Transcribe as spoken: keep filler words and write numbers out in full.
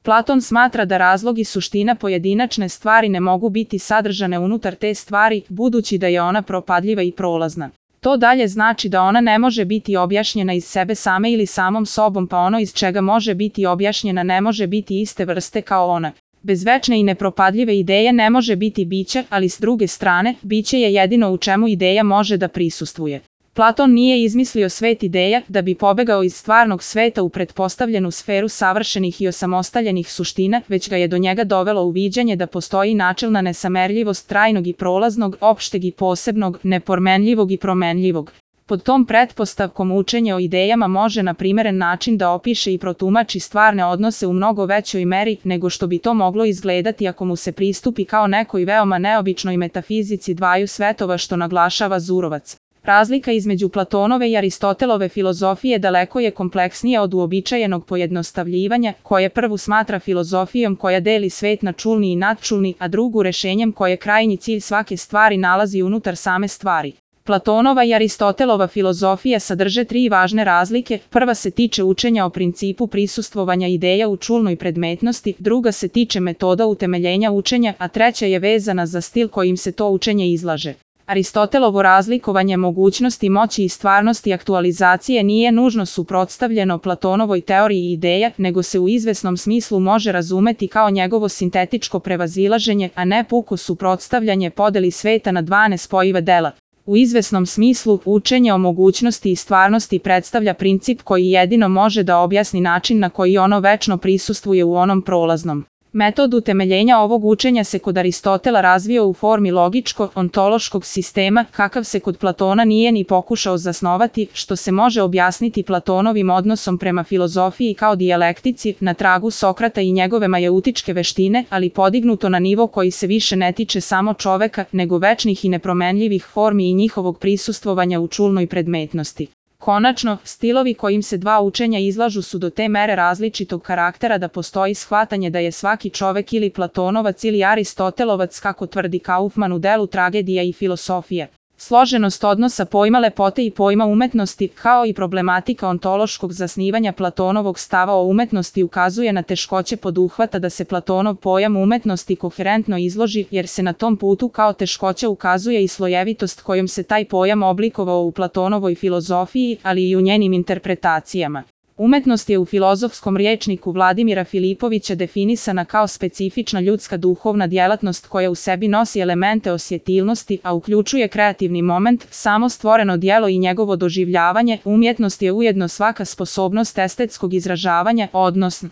Platon smatra da razlog i suština pojedinačne stvari ne mogu biti sadržane unutar te stvari, budući da je ona propadljiva i prolazna. To dalje znači da ona ne može biti objašnjena iz sebe same ili samom sobom, pa ono iz čega može biti objašnjena ne može biti iste vrste kao ona. Bez večne i nepropadljive ideje ne može biti biće, ali s druge strane, biće je jedino u čemu ideja može da prisustvuje. Platon nije izmislio svet ideja da bi pobegao iz stvarnog sveta u pretpostavljenu sferu savršenih i osamostaljenih suština, već ga je do njega dovelo uviđanje da postoji načelna nesamerljivost trajnog i prolaznog, opšteg i posebnog, nepromenljivog i promenljivog. Pod tom pretpostavkom učenje o idejama može na primeren način da opiše i protumači stvarne odnose u mnogo većoj meri nego što bi to moglo izgledati ako mu se pristupi kao nekoj veoma neobičnoj metafizici dvaju svetova, što naglašava Zurovac. Razlika između Platonove i Aristotelove filozofije daleko je kompleksnija od uobičajenog pojednostavljivanja, koje prvu smatra filozofijom koja deli svet na čulni i nadčulni, a drugu rešenjem koje krajnji cilj svake stvari nalazi unutar same stvari. Platonova i Aristotelova filozofija sadrže tri važne razlike. Prva se tiče učenja o principu prisustvovanja ideja u čulnoj predmetnosti, druga se tiče metoda utemeljenja učenja, a treća je vezana za stil kojim se to učenje izlaže. Aristotelovo razlikovanje mogućnosti, moći i stvarnosti aktualizacije nije nužno suprotstavljeno Platonovoj teoriji ideja, nego se u izvesnom smislu može razumeti kao njegovo sintetičko prevazilaženje, a ne puko suprotstavljanje podeli sveta na dva nespojiva dela. U izvesnom smislu, učenje o mogućnosti i stvarnosti predstavlja princip koji jedino može da objasni način na koji ono večno prisustvuje u onom prolaznom. Metod utemeljenja ovog učenja se kod Aristotela razvio u formi logičko-ontološkog sistema, kakav se kod Platona nije ni pokušao zasnovati, što se može objasniti Platonovim odnosom prema filozofiji kao dijalektici, na tragu Sokrata i njegove majeutičke veštine, ali podignuto na nivo koji se više ne tiče samo čoveka, nego večnih i nepromenljivih formi i njihovog prisustvovanja u čulnoj predmetnosti. Konačno, stilovi kojim se dva učenja izlažu su do te mere različitog karaktera da postoji shvatanje da je svaki čovek ili Platonovac ili Aristotelovac, kako tvrdi Kaufman u delu Tragedija i filosofija. Složenost odnosa pojma lepote i pojma umetnosti, kao i problematika ontološkog zasnivanja Platonovog stava o umetnosti ukazuje na teškoće poduhvata da se Platonov pojam umetnosti koherentno izloži, jer se na tom putu kao teškoća ukazuje i slojevitost kojom se taj pojam oblikovao u Platonovoj filozofiji, ali i u njenim interpretacijama. Umetnost je u filozofskom rječniku Vladimira Filipovića definisana kao specifična ljudska duhovna djelatnost koja u sebi nosi elemente osjetilnosti, a uključuje kreativni moment, samo stvoreno djelo i njegovo doživljavanje. Umjetnost je ujedno svaka sposobnost estetskog izražavanja, odnosno